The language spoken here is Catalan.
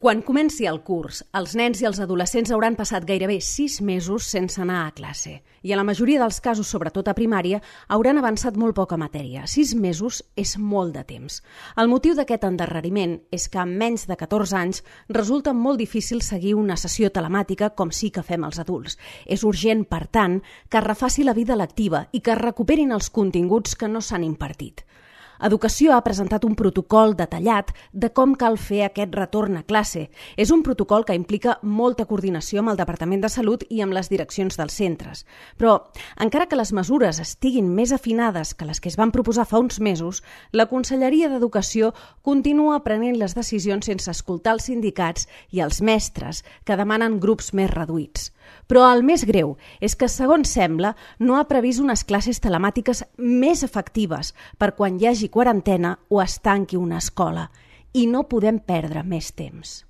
Quan comenci el curs, els nens i els adolescents hauran passat gairebé 6 mesos sense anar a classe i a la majoria dels casos, sobretot a primària, hauran avançat molt poca matèria. 6 mesos és molt de temps. El motiu d'aquest endarreriment és que amb menys de 14 anys resulta molt difícil seguir una sessió telemàtica com sí que fem els adults. És urgent, per tant, que es refaci la vida lectiva i que es recuperin els continguts que no s'han impartit. Educació ha presentat un protocol detallat de com cal fer aquest retorn a classe. És un protocol que implica molta coordinació amb el Departament de Salut i amb les direccions dels centres. Però, encara que les mesures estiguin més afinades que les que es van proposar fa uns mesos, la Conselleria d'Educació continua prenent les decisions sense escoltar els sindicats i els mestres, que demanen grups més reduïts. Però el més greu és que, segons sembla, no ha previst unes classes telemàtiques més efectives per quan hi hagi quarantena o es tanqui una escola. I no podem perdre més temps.